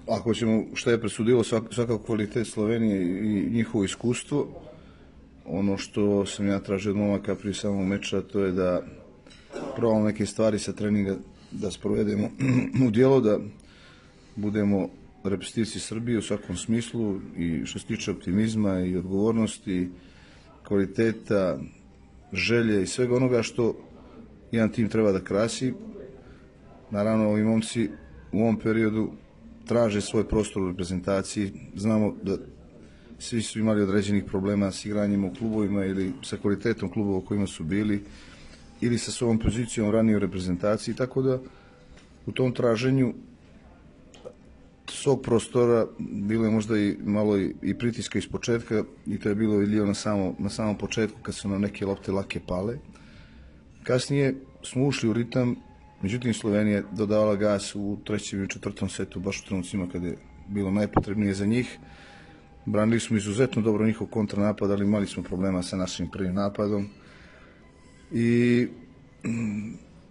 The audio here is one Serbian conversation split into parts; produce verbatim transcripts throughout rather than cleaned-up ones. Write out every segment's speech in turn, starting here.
ako ćemo šta je presudilo svakako kvalitet Slovenije i njihovo iskustvo, ono što sam ja tražio od momaka prije samog meča, to je da probamo neke stvari sa treninga da sprovedemo u djelo, da budemo reprezentativci Srbije u svakom smislu i što se tiče optimizma i odgovornosti, kvaliteta, želje i svega onoga što jedan tim treba da krasi. Naravno, ovi momci u ovom periodu traže svoj prostor u reprezentaciji. Znamo da svi su imali određenih problema s igranjem u klubovima ili sa kvalitetom klubova u kojima su bili ili sa svojom pozicijom ranije u reprezentaciji, tako da u tom traženju svog prostora bilo je možda i malo i pritiska iz početka i to je bilo vidljivo na, samo, na samom početku kad su nam neke lopte lake pale. Kasnije smo ušli u ritam, međutim Slovenija je dodavala gas u trećem i četvrtom setu, baš u trenucima kada je bilo najpotrebnije za njih. Branili smo izuzetno dobro njihov kontranapad, ali imali smo problema sa našim prvim napadom. I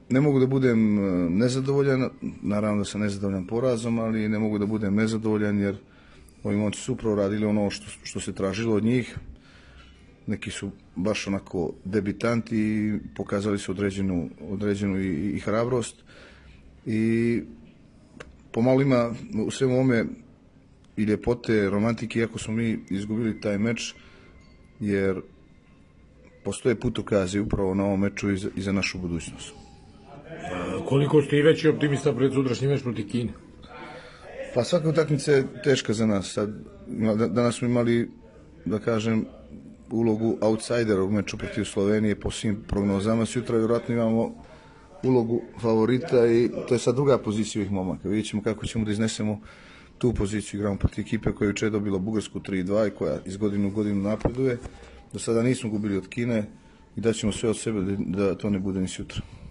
ne mogu da budem nezadovoljan, naravno da sam nezadovoljan porazom, ali ne mogu da budem nezadovoljan jer ovi momci su upravo radili ono što, što se tražilo od njih. Neki su baš onako debitanti i pokazali su određenu, određenu i, i hrabrost. I pomalo ima u svemu ovome i ljepote, romantike, iako smo mi izgubili taj meč, jer postoje putokazi upravo na ovom meču i za, i za našu budućnost. Koliko ste i veći optimista pred sutrašnji meč protiv Kine? Pa svaka utakmica je teška za nas. Sad, danas smo imali, da kažem, ulogu outsidera u meču protiv Slovenije po svim prognozama. Sutra vjerojatno imamo ulogu favorita i to je sad druga pozicija ovih momaka. Vidjet ćemo kako ćemo da iznesemo tu poziciju. Igramo protiv ekipe koja je juče dobila Bugarsku tri dva i koja iz godine u godinu napreduje. Do sada nismo gubili od Kine i daćemo sve od sebe da to ne bude ni sutra.